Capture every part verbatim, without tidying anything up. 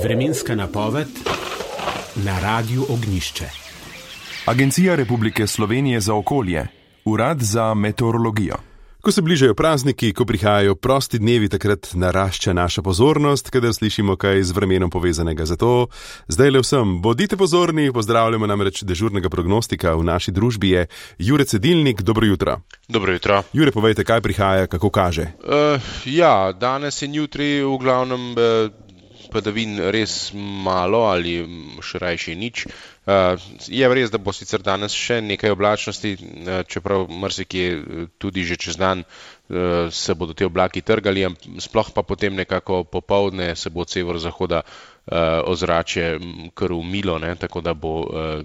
Vremenska napoved na Radiu Ognjišče. Agencija Republike Slovenije za okolje, Urad za meteorologijo. Ko se bližajo prazniki, ko prihajajo prosti dnevi, takrat narašča naša pozornost, kadar slišimo kaj z vremenom povezanega. Zato zdaj le vsem bodite pozorni, pozdravljamo namreč dežurnega prognostika v naši družbi je Jure Cedilnik. Dobro jutro. Dobro jutro. Jure, povejte, kaj prihaja, kako kaže? Uh, ja, danes in jutri v glavnem uh, padavin res malo ali še rajši nič. Uh, je res, da bo sicer danes še nekaj oblačnosti, uh, čeprav marsikje tudi že čez dan uh, se bodo te oblaki trgali, sploh pa potem nekako popoldne se bo od severozahoda uh, ozračje kar umilo, ne, tako da bo uh,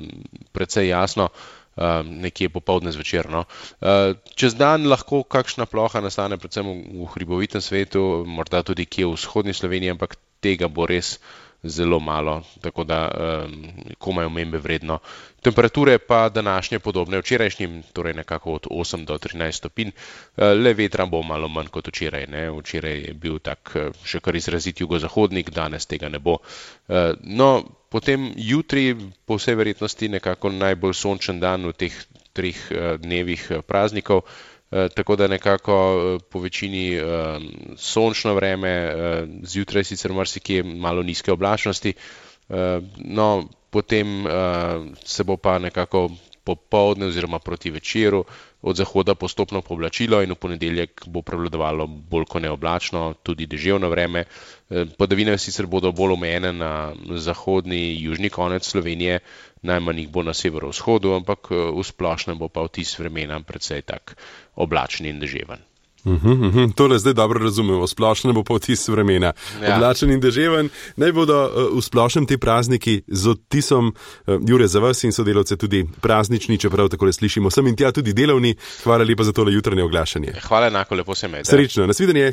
precej jasno. Uh, nekje popoldne zvečer. No. Uh, čez dan lahko kakšna ploha nastane predvsem v, v hribovitem svetu, morda tudi kje v vzhodni Sloveniji, ampak tega bo res zelo malo, tako da um, komaj omembe vredno. Temperature pa današnje podobne včerajšnjim, torej nekako od osem do trinajst stopinj, uh, le vetra bo malo manj kot včeraj. Ne. Včeraj je bil tak uh, še kar izrazit jugozahodnik, danes tega ne bo. Uh, no, Potem jutri po vsej verjetnosti nekako najbolj sončen dan v teh treh dnevih praznikov, tako da nekako po večini sončno vreme, zjutraj sicer marsikje malo nizke oblačnosti, no potem se bo pa nekako popoldne oziroma proti večeru od zahoda postopno pooblačilo in v ponedeljek bo prevladovalo bolj kot neoblačno, tudi deževno vreme. Padavine sicer bodo bolj omejene na zahodni, južni konec Slovenije, najmanj jih bo na severovzhodu, ampak v splošnem bo pa vtis vremena precej tak oblačen in deževen. Uhum, uhum. Tole zdaj dobro razumemo, splošno bo pa vtis vremena. Ja. Oblačen in deževen. Naj bodo uh, v splošnem ti prazniki z odtisom, uh, Jure, za vas in sodelavce tudi praznični, čeprav takole slišimo sem in tja tudi delovni. Hvala lepa za tole jutranje oglašanje. Hvala enako, lepo se imejte. Srečno, nasvidenje.